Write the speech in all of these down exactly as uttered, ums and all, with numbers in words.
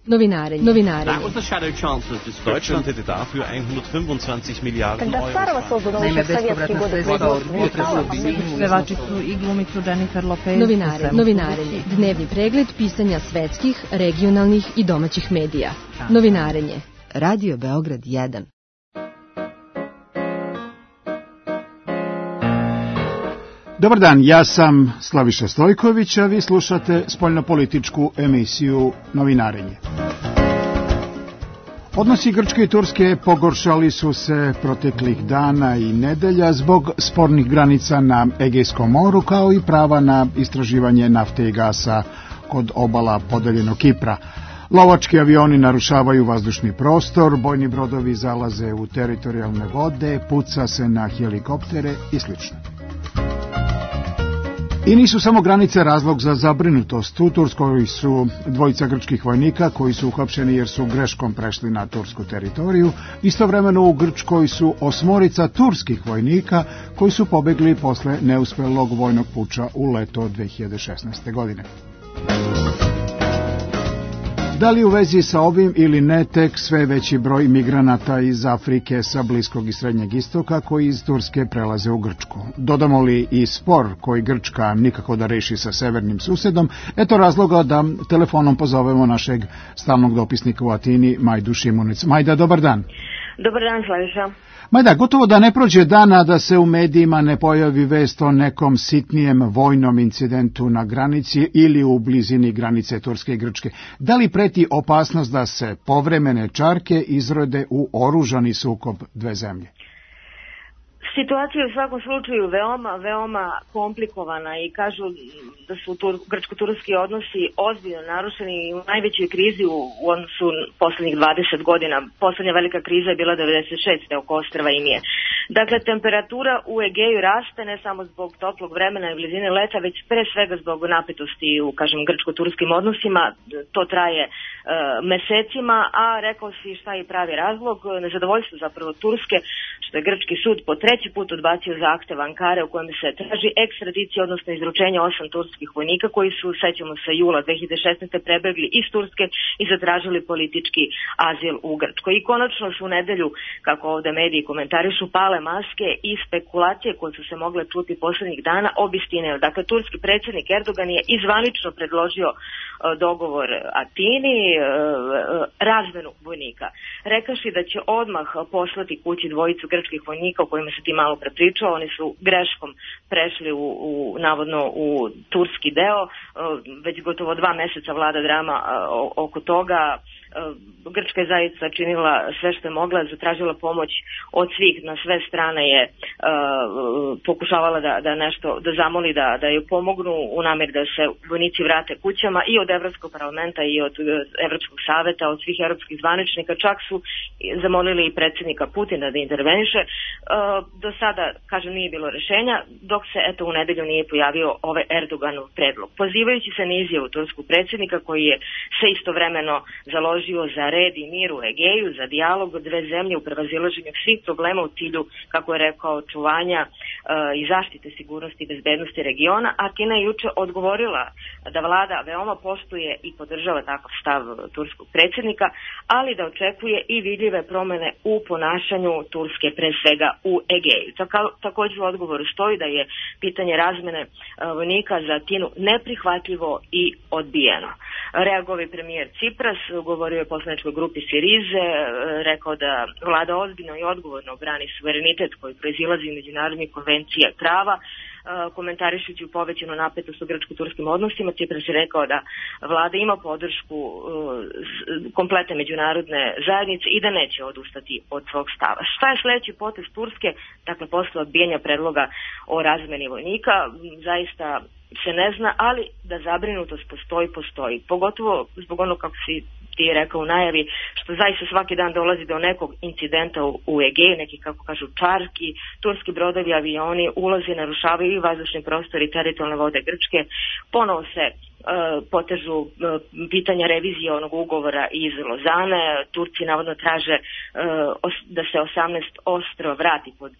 Novinarenje. Novinarenje. That was the shadow chancellor's description. Deutschland hätte dafür hundertfünfundzwanzig Milliarden Euro. Naime, bespovratna sredstva potrebna pevačicu i glumicu Jennifer Lopez. Novinare, novinarenje. Dnevni pregled pisanja svetskih, regionalnih i domaćih medija. Novinarenje. Radio Beograd jedan. Dobar dan, ja sam Slaviša Stojković, a vi slušate spoljnopolitičku emisiju Novinarenje. Odnosi Grčke i Turske pogoršali su se proteklih dana i nedelja zbog spornih granica na Egejskom moru, kao i prava na istraživanje nafte i gasa kod obala podeljenog Kipra. Lovački avioni narušavaju vazdušni prostor, bojni brodovi zalaze u teritorijalne vode, puca se na helikoptere i sl. I nisu samo granice razlog za zabrinutost. U Turskoj su dvojica grčkih vojnika koji su uhapšeni jer su greškom prešli na tursku teritoriju. Istovremeno u Grčkoj su osmorica turskih vojnika koji su pobegli posle neuspelog vojnog puča u leto dve hiljade šesnaeste. godine. Da li u vezi sa ovim ili ne, tek sve veći broj migranata iz Afrike sa Bliskog i Srednjeg istoka koji iz Turske prelaze u Grčku. Dodamo li i spor koji Grčka nikako da reši sa severnim susedom, eto razloga da telefonom pozovemo našeg stalnog dopisnika u Atini, Majdu Šimunic. Majda, dobar dan. Dobar dan, Slaviša. Majda, gotovo da ne prođe dana da se u medijima ne pojavi vest o nekom sitnijem vojnom incidentu na granici ili u blizini granice Turske i Grčke. Da li preti opasnost da se povremene čarke izrode u oružani sukob dve zemlje? Situacija je u svakom slučaju veoma, veoma komplikovana i kažu da su tur, grčko-turski odnosi ozbiljno narušeni i u najvećoj krizi u, u odnosu poslednjih dvadeset godina. Poslednja velika kriza je bila devedeset šeste oko ostrva Imije. Dakle, temperatura u Egeju raste ne samo zbog toplog vremena i blizine leta, već pre svega zbog napetosti u, kažem, grčko-turskim odnosima. To traje e, mesecima, a rekao si šta je pravi razlog, nezadovoljstvo zapravo Turske, što je grčki sud po treći put odbacio zahtev Ankare u kojem se traži ekstradicija, odnosno izručenje osam turskih vojnika koji su, sećamo se, jula dve hiljade šesnaeste. prebegli iz Turske i zatražili politički azil u Grčkoj. I konačno su u nedelju, kako ovde mediji komentarišu, pale maske i spekulacije koje su se mogle čuti poslednjih dana obistinile. Dakle, turski predsjednik Erdogan je izvanično predložio dogovor Atini, razmenu vojnika. Rekaši da će odmah poslati kući dvojicu grčkih vojnika o kojima se ti malo prepričao. Oni su greškom prešli u, u navodno u turski deo. Već gotovo dva meseca vlada drama oko toga. Grčka je zaista činila sve što je mogla, zatražila pomoć od svih, na sve strane je uh, pokušavala da, da nešto, da zamoli da, da ju pomognu u nameri da se vojnici vrate kućama i od Evropskog parlamenta i od Evropskog saveta, od svih evropskih zvaničnika, čak su zamolili i predsjednika Putina da interveniše. Uh, do sada, kažem, nije bilo rešenja, dok se eto u nedelju nije pojavio ovaj Erdoganov predlog. Pozivajući se na izjavu turskog predsjednika koji je se istovremeno založio za red i mir u Egeju, za dijalog od dve zemlje u prevazilaženju svih problema u cilju, kako je rekao, očuvanja e, i zaštite sigurnosti i bezbednosti regiona, a Kina je juče odgovorila da vlada veoma poštuje i podržava takav stav turskog predsjednika, ali da očekuje i vidljive promene u ponašanju Turske, pre svega u Egeju. Tako, također u odgovoru stoji da je pitanje razmene e, vojnika za Atinu neprihvatljivo i odbijeno. Reagovao premijer Cipras, govorio je poslaničkoj grupi Sirize, rekao da vlada ozbiljno i odgovorno brani suverenitet koji proizilazi iz međunarodnih konvencija i prava. Komentarišući u povećanu napetost u grčko-turskim odnosima, Cipras je rekao da vlada ima podršku kompletne međunarodne zajednice i da neće odustati od svog stava. Šta je sledeći potez Turske, dakle posle odbijanja predloga o razmeni vojnika, zaista se ne zna, ali da zabrinutost postoji, postoji. Pogotovo zbog ono, kako si ti je rekao u najavi, što zaista svaki dan dolazi do nekog incidenta u, u Egeju, nekih, kako kažu, čarki, turski brodovi, avioni ulaze, narušavaju i vazdušni prostor i teritorijalne vode Grčke. Ponovo se uh, potežu uh, pitanja revizije onog ugovora iz Lozane. Turci navodno traže uh, os, da se osamnaest ostrva vrati pod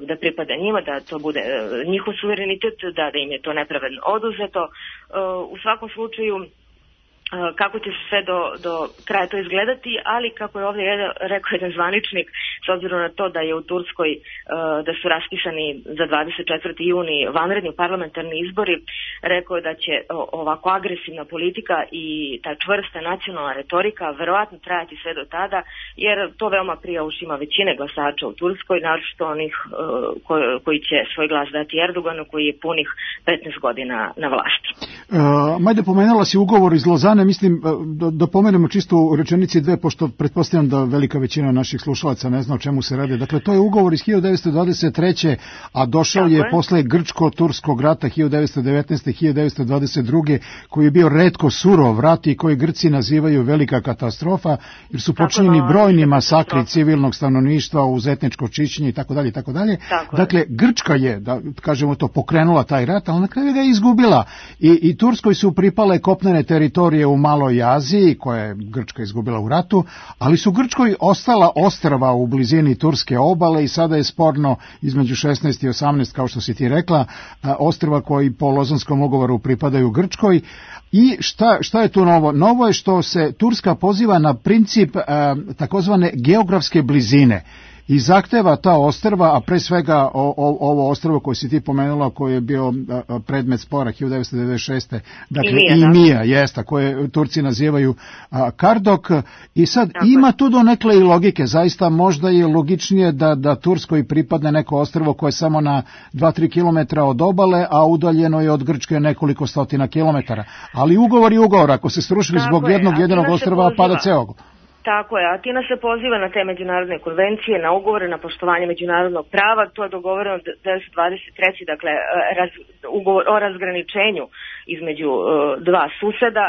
da pripada njima, da to bude njihov suverenitet, da, da im je to nepravedno oduzeto. U svakom slučaju kako će se sve do, do kraja to izgledati, ali kako je ovdje jedan, rekao jedan zvaničnik, s obzirom na to da je u Turskoj, da su raspisani za dvadeset četvrti juni vanredni parlamentarni izbori, rekao je da će ovako agresivna politika i ta čvrsta nacionalna retorika verovatno trajati sve do tada, jer to veoma prija ušima većine glasača u Turskoj, naročito onih koji, koji će svoj glas dati Erdoganu, koji je punih petnaest godina na vlasti. Uh, Majde, pomenula si ugovor iz Lozane, mislim da, da pomenemo čisto u rečenici dve, pošto pretpostavljam da velika većina naših slušalaca ne zna o čemu se radi. Dakle, to je ugovor iz hiljadu devetsto dvadeset treće. a došao Tako je, je posle Grčko-Turskog rata hiljadu devetsto devetnaeste. hiljadu devetsto dvadeset druge. koji je bio retko surov rat i koji Grci nazivaju velika katastrofa, jer su počinjeni brojni masakri civilnog stanovništva uz etničko čišćenje i tako dalje i tako dalje. Dakle, Grčka je, da kažemo to, pokrenula taj rat, ali na kraju ga je izgubila. I, i Turskoj su pripale kopnene teritorije u Maloj Aziji, koje je Grčka izgubila u ratu, ali su Grčkoj ostala ostrva u blizini turske obale i sada je sporno između šesnaest i osamnaest, kao što si ti rekla, ostrva koji po Lozanskom ugovoru pripadaju Grčkoj. I šta, šta je tu novo? Novo je što se Turska poziva na princip eh, takozvane geografske blizine i zahteva ta ostrva, a pre svega o, o, ovo ostrvo koje si ti pomenula, koje je bio a, predmet spora hiljadu devetsto devedeset šeste. Dakle, i Mija, jesta, koje Turci nazivaju a, Kardok. I sad Tako. ima tu do nekle i logike. Zaista možda je logičnije da, da Turskoj pripadne neko ostrvo koje je samo na dva do tri kilometra od obale, a udaljeno je od Grčke nekoliko stotina kilometara. Ali ugovor je ugovor. Ako se srušili Tako zbog je. jednog jedinog ostrva, pada ceo. Tako je, Atina se poziva na te međunarodne konvencije, na ugovore, na poštovanje međunarodnog prava, to je dogovoreno devetsto dvadeset treće. dakle raz, ugovor o razgraničenju između uh, dva suseda,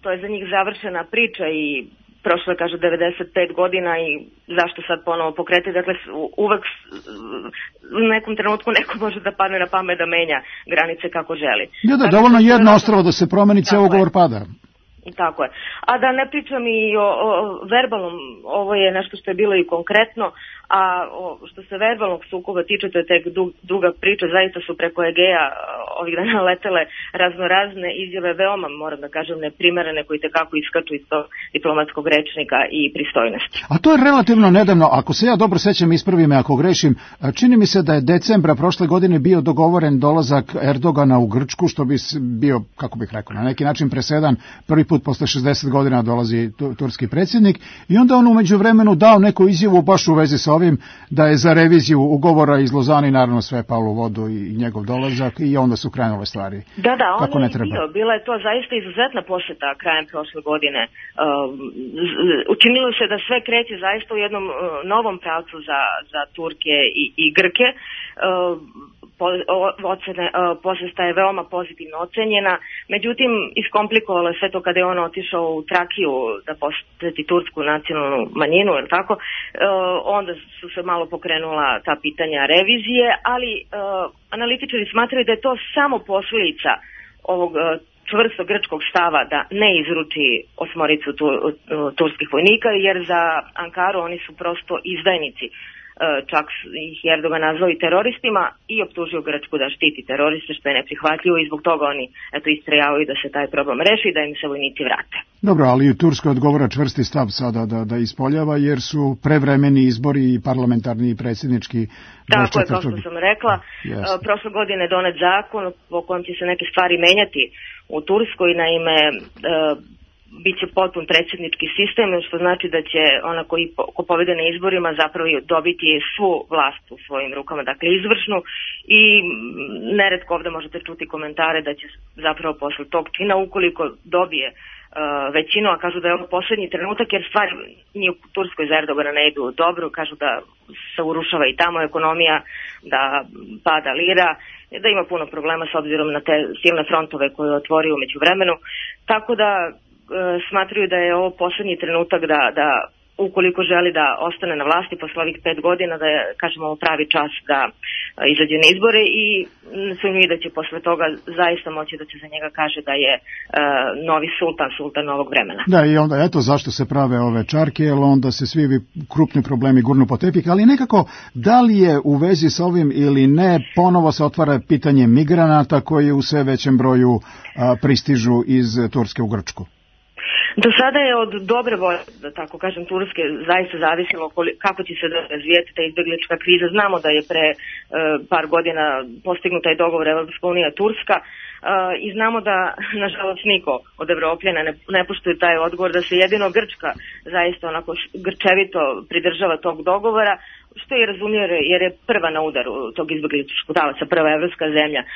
to je za njih završena priča i prošlo je, kaže, devedeset pet godina i zašto sad ponovo pokreti, dakle uvek u nekom trenutku neko može da padne na pamet da menja granice kako želi. Ja da, dovoljno jedno ostrvo da se promeni, ceo ugovor pada. Tako je. A da ne pričam i o, o verbalnom, ovo je nešto što je bilo i konkretno, a o, što se verbalnog sukoba tiče, to je tek dug, druga priča, zaista su preko Egeja ovih dana letele raznorazne izjave, veoma, moram da kažem, neprimerene, koji tekako iskaču iz tog diplomatskog rečnika i pristojnosti. A to je relativno nedavno, ako se ja dobro sećam, ispravi me ako grešim, čini mi se da je decembra prošle godine bio dogovoren dolazak Erdogana u Grčku, što bi bio, kako bih rekao, na neki način presedan, prvi put posle šezdeset godina dolazi turski predsjednik i onda on umeđu vremenu dao neku izjavu baš u vezi sa ovim da je za reviziju ugovora iz Lozani naravno sve palo u vodu i njegov dolazak i onda su krenule stvari. Da, da, on je bio. Bila je to zaista izuzetna posjeta krajem prošle godine. Uh, učinilo se da sve kreće zaista u jednom uh, novom pravcu za, za Turke i, i Grke. Uh, po, ocene, uh, posjeta je veoma pozitivno ocenjena, međutim iskomplikovalo je sve to kada je on otišao u Trakiju da posjeti tursku nacionalnu manjinu, ili tako, uh, onda su se malo pokrenula ta pitanja revizije, ali uh, analitičari smatraju da je to samo posljedica ovog uh, čvrstog grčkog stava da ne izruči osmoricu tu, uh, turskih vojnika, jer za Ankaru oni su prosto izdajnici. Čak ih Erdogan nazvao i teroristima i optužio Grčku da štiti teroriste, što je neprihvatljivo i zbog toga oni eto istrajavaju da se taj problem reši i da im se vojnici vrate. Dobro, ali u Turskoj odgovara čvrsti stav sada da, da ispoljava, jer su prevremeni izbori i parlamentarni i predsjednički. Tako je, kao što sam rekla, Jeste. prošle godine donet zakon po kojem će se neke stvari menjati u Turskoj, naime bit će potpun predsjednički sistem, što znači da će ona koji po, ko pobede na izborima zapravo dobiti svu vlast u svojim rukama, dakle izvršnu, i neretko ovdje možete čuti komentare da će zapravo posle tog čina, ukoliko dobije uh, većinu, a kažu da je ovo posljednji trenutak, jer stvari ni u Turskoj za Erdogana ne idu dobro, kažu da se urušava i tamo ekonomija, da pada lira, da ima puno problema s obzirom na te silne frontove koje je otvorio među vremenu, tako da smatraju da je ovo posljednji trenutak da, da ukoliko želi da ostane na vlasti posle ovih pet godina, da je, kažemo, ovo pravi čas da izađe na izbore i sumnjuju da će posle toga zaista moći da se za njega kaže da je uh, novi sultan, sultan novog vremena. Da, i onda eto zašto se prave ove čarke, jer onda se svi krupni problemi gurnu po tepih, ali nekako da li je u vezi s ovim ili ne, ponovo se otvara pitanje migranata koji u sve većem broju uh, pristižu iz Turske u Grčku. Do sada je od dobre volje, da tako kažem, Turske zaista zavisilo kako će se razvijeti ta izbeglička kriza. Znamo da je pre e, par godina postignut taj dogovor Evropska unija Turska e, i znamo da, nažalost, niko od Evropljana ne, ne poštuje taj odgovor, da se jedino Grčka zaista onako grčevito pridržava tog dogovora, što je razumio jer je prva na udaru tog izbegličkog talaca, prva evropska zemlja. E,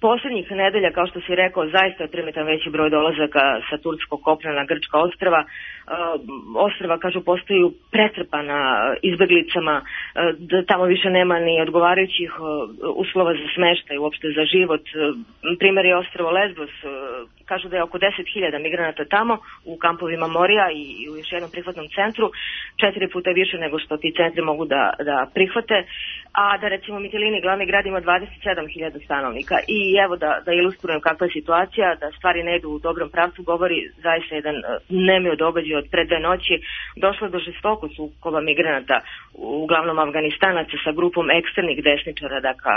poslednjih nedelja, kao što si rekao, zaista je primitan veći broj dolazaka sa turskog kopna na grčka ostrva. E, ostrva, kažu, postaju pretrpana izbeglicama, e, da tamo više nema ni odgovarajućih e, uslova za smeštaj, uopšte za život. E, primer je ostrvo Lesbos, e, kažu da je oko deset hiljada migranata tamo u kampovima Morija i, i u još jednom prihvatnom centru, četiri puta više nego što ti centri mogu da, da prihvate, a da recimo Mitilini, glavni grad, ima dvadeset sedam hiljada stanovnika. I evo da, da ilustrujem kakva je situacija, da stvari ne idu u dobrom pravcu, govori zaista jedan nemio događaj od pre dve noći. Došlo do žestokog sukoba migranata, uglavnom Afganistanaca, sa grupom ekstremnih desničara, dakle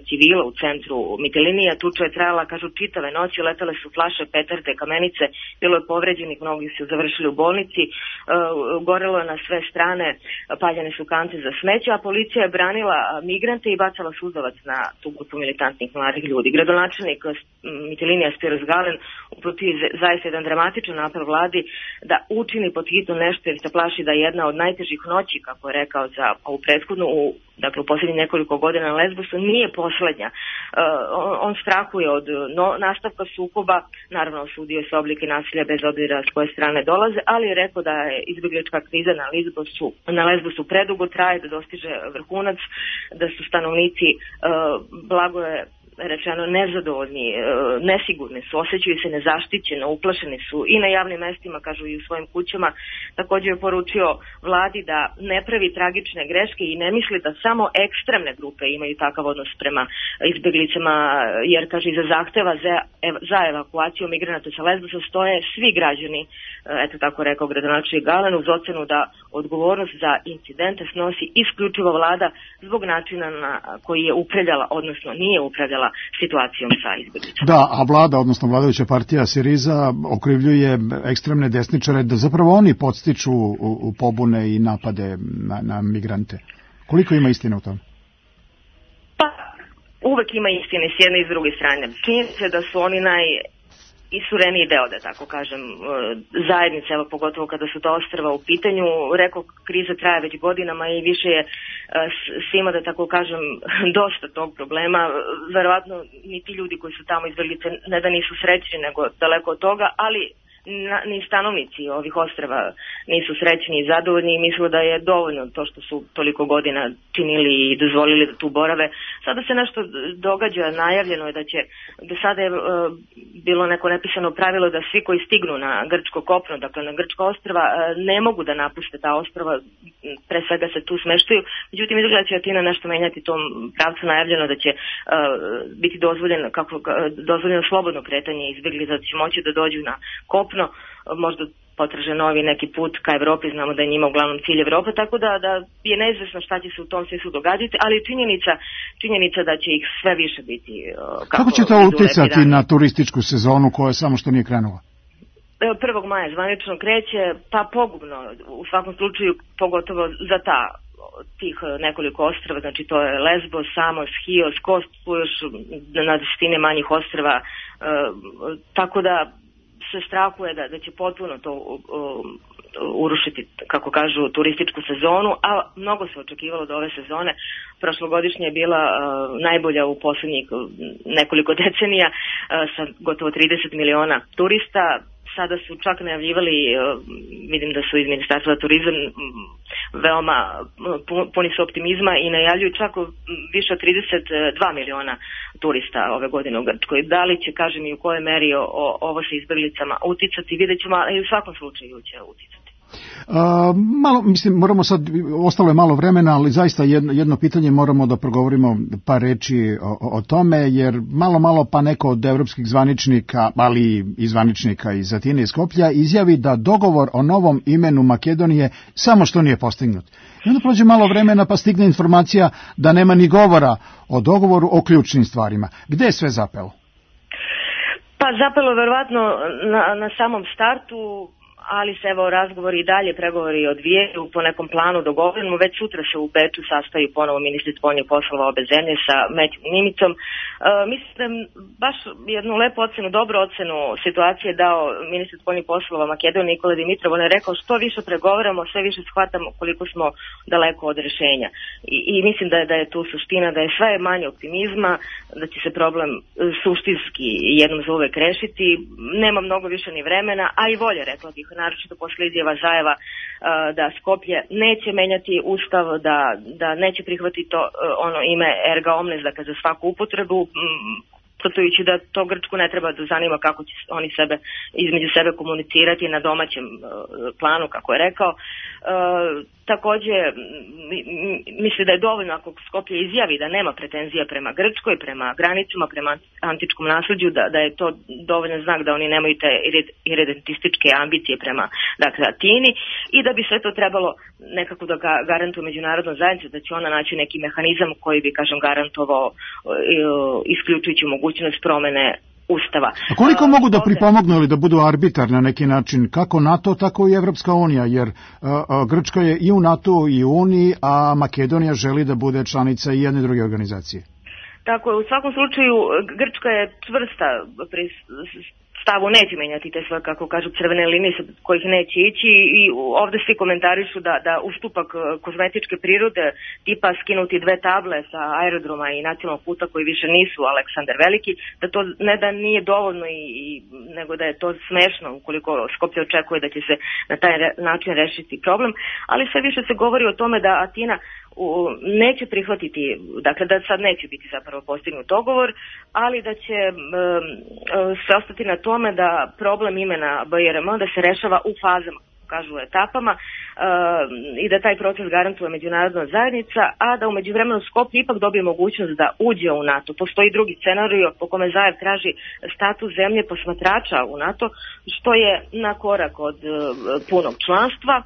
civila u centru Mitilinija. Tuča je trajala, kažu, čitave noći, letele su flaše, petarde, kamenice, bilo je povređenih, mnogi su završili u bolnici, e, gorelo je na sve strane, paljene su kante za smeće, a policija je branila migrante i bacala suzavac na tu grupu militantnih mladih ljudi. Gradonačelnik Mitilinija Spiros Galen uputio zaista jedan dramatičan apel vladi da učini pod hitno nešto, jer se plaši da je jedna od najtežih noći, kako je rekao, za ovu prethodnu, u, dakle u posljednjih nekoliko godina na Lesbosu, nije poslednja. Uh, on, on strahuje od no, nastavka sukoba, naravno osudio se oblike nasilja bez obzira s koje strane dolaze, ali je rekao da je izbjeglička kriza na Lesbosu, na Lesbosu predugo traje, da dostiže vrhunac, da su stanovnici, uh, blago je rečeno, nezadovoljni, nesigurni su, osjećaju se nezaštićeno, uplašeni su i na javnim mestima, kažu, i u svojim kućama. Također je poručio vladi da ne pravi tragične greške i ne misli da samo ekstremne grupe imaju takav odnos prema izbjeglicama, jer, kaže, iza zahteva za, za evakuaciju migranata sa Lesbosa stoje svi građani, eto tako rekao gradonačelnik Galen, uz ocenu da odgovornost za incidente snosi isključivo vlada zbog načina na koji je upravljala, odnosno nije upravljala situacijom sa izbjeglicama. Da, a vlada, odnosno vladajuća partija Siriza, okrivljuje ekstremne desničare da zapravo oni podstiču u, u pobune i napade na, na migrante. Koliko ima istine u tom? Pa, uvek ima istine s jedne i s druge strane. Čini se da su oni naj isureniji deo, da tako kažem, zajednice, evo pogotovo kada su ta ostrva u pitanju. Rekao, kriza traje već godinama i više je svima, da tako kažem, dosta tog problema. Verovatno ni ti ljudi koji su tamo izbjeglice ne da nisu srećni, nego daleko od toga, ali Na, ni stanovnici ovih ostrava nisu srećni i zadovoljni i misle da je dovoljno to što su toliko godina činili i dozvolili da tu borave. Sada se nešto događa, najavljeno je da će, do sada je e, bilo neko nepisano pravilo da svi koji stignu na grčko kopno, dakle na grčka ostrva, e, ne mogu da napuste ta ostrva, pre svega se tu smeštaju. Međutim, izgleda će Atina nešto menjati tom pravcu, najavljeno da će e, biti dozvoljeno, kako, dozvoljeno slobodno kretanje izbjeglica, da će moći da dođu na kopno, možda potraže novi neki put ka Evropi, znamo da je njima uglavnom cilj Evropa, tako da, da je neizvesno šta će se u tom smislu događati, ali činjenica, činjenica da će ih sve više biti. Kako, kako će to uticati na turističku sezonu koja samo što nije krenula? prvog maja zvanično kreće, pa pogubno, u svakom slučaju, pogotovo za ta tih nekoliko ostrava, znači to je Lesbos, Samos, Chios, Kos, tu još na desetine manjih ostrava, e, tako da se strahuje da, da će potpuno to uh, urušiti, kako kažu, turističku sezonu, a mnogo se očekivalo do ove sezone. Prošlogodišnja je bila uh, najbolja u posljednjih nekoliko decenija, uh, sa gotovo trideset miliona turista. Sada su čak najavljivali, vidim da su iz Ministarstva turizam veoma puni su optimizma i najavljuju čak više od trideset dva miliona turista ove godine u Grčkoj. Da li će, kažem, i u kojoj meri o, o, ovo sa izbjeglicama uticati, vidjet ćemo, ali u svakom slučaju će uticati. Uh, malo, mislim, moramo sad, ostalo je malo vremena, ali zaista jedno, jedno pitanje moramo da progovorimo par reči o, o tome, jer malo, malo pa neko od evropskih zvaničnika, ali i zvaničnika iz Atine i Skoplja, izjavi da dogovor o novom imenu Makedonije samo što nije postignut. I onda prođe malo vremena pa stigne informacija da nema ni govora o dogovoru o ključnim stvarima. Gde je sve zapelo? Pa zapelo verovatno na, na samom startu, ali se evo razgovori i dalje, pregovori odvijaju po nekom planu dogovorenom. Već sutra se u Beču sastaju ponovo ministri spoljnih poslova obe zemlje sa Matthew Nimicom. E, mislim da baš jednu lepu ocenu, dobru ocenu situacije dao ministar spoljnih poslova Makedonije Nikola Dimitrov. On je rekao što više pregovaramo, sve više shvatamo koliko smo daleko od rešenja. I, i mislim da je, da je tu suština, da je sve manje optimizma, da će se problem suštinski jednom za uvek rešiti. Nema mnogo više ni vremena, a i volje, rekla bih, naročito posle izjava Zajeva da Skoplje neće menjati ustav, da, da neće prihvatiti to ono ime erga omnes, dakle za svaku upotrebu, potvrđujući da to Grčku ne treba da zanima kako će oni sebe između sebe komunicirati na domaćem planu, kako je rekao. Takođe, misli da je dovoljno ako Skoplje izjavi da nema pretenzija prema Grčkoj, prema granicama, prema antičkom nasleđu, da, da je to dovoljan znak da oni nemaju te iredentističke ambicije prema, dakle, Atini, i da bi sve to trebalo nekako da ga garantuje međunarodna zajednica, da će ona naći neki mehanizam koji bi, kažem, garantovao isključujući mogućnost promene Ustava. A koliko mogu da pripomognu ili da budu arbitar na neki način, kako NATO, tako i Evropska unija, jer a, a, Grčka je i u NATO i u Uniji, a Makedonija želi da bude članica i jedne i druge organizacije? Tako je, u svakom slučaju Grčka je čvrsta pri stavu, neće menjati te svoje, kako kažu, crvene linije sa kojih neće ići, i ovde svi komentarišu da, da ustupak kozmetičke prirode, tipa skinuti dve table sa aerodroma i nacionalnog puta koji više nisu Aleksandar Veliki, da to ne da nije dovoljno, i, i nego da je to smešno ukoliko Skoplje očekuje da će se na taj re, način rešiti problem, ali sve više se govori o tome da Atina U, neće prihvatiti, dakle da sad neće biti zapravo postignut dogovor, ali da će um, se ostati na tome da problem imena B R M da se rešava u fazama, kažu etapama, uh, i da taj proces garantuje međunarodna zajednica, a da u međuvremenu Skoplje ipak dobije mogućnost da uđe u NATO. Postoji drugi scenario po kome Zajev traži status zemlje posmatrača u NATO, što je na korak od uh, punog članstva,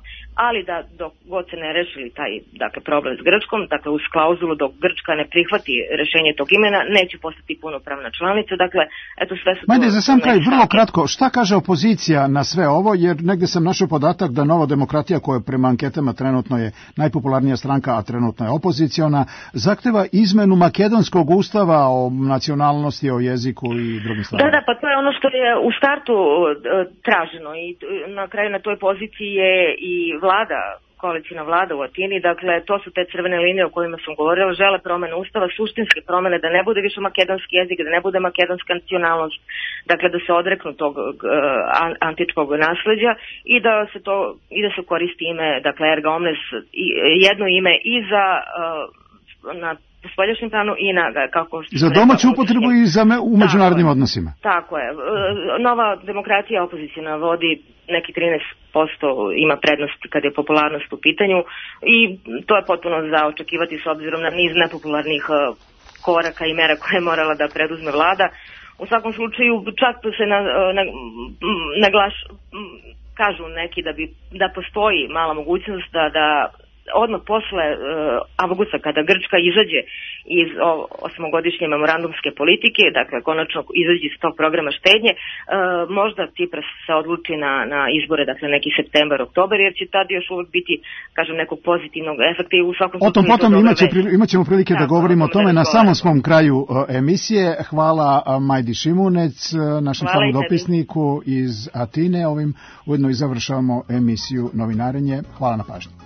ali da dok god se ne rešili taj, dakle, problem s Grčkom, dakle uz klauzulu dok Grčka ne prihvati rešenje tog imena, neće postati punopravna članica. Dakle, eto sve su... Majde, za sam kraj, vrlo kratko, šta kaže opozicija na sve ovo, jer negde sam našao podatak da Nova demokratija, koja prema anketama trenutno je najpopularnija stranka, a trenutno je opoziciona, zahteva izmenu makedonskog ustava o nacionalnosti, o jeziku i drugim stvarima. Da, da, pa to je ono što je u startu traženo, i na kraju na toj poziciji je i vlada, koalicijna vlada u Atini, dakle to su te crvene linije o kojima sam govorila, žele promene ustava, suštinske promene, da ne bude više makedonski jezik, da ne bude makedonska nacionalnost, dakle da se odreknu tog uh, antičkog nasleđa i da se to, i da se koristi ime, dakle erga omnes, i, jedno ime i za uh, na spoljašnjem planu i na, kako za domaću upotrebu i za me, u međunarodnim tako odnosima. Tako je. Nova demokratija opozicijna vodi neki trinaest posto, ima prednost kad je popularnost u pitanju, i to je potpuno za očekivati s obzirom na niz nepopularnih koraka i mera koje je morala da preduzme vlada. U svakom slučaju čak se na, na, naglaš, kažu neki da bi da postoji mala mogućnost da, da odmah posle uh, avgusta, kada Grčka izađe iz o, osmogodišnje memorandumske politike, dakle konačno izađe iz tog programa štednje, uh, možda Cipras se odluči na, na izbore, dakle neki septembar, oktobar, jer će tad još uvek biti, kažem, nekog pozitivnog efekta, i u svakom slučaju... O tom potom imaće, imaćemo prilike da, da govorimo o tome na samom svom kraju uh, emisije. Hvala uh, Majdi Šimunec, uh, našem stalnom dopisniku iz Atine. Ovim ujedno i završavamo emisiju Novinarenje. Hvala na pažnji.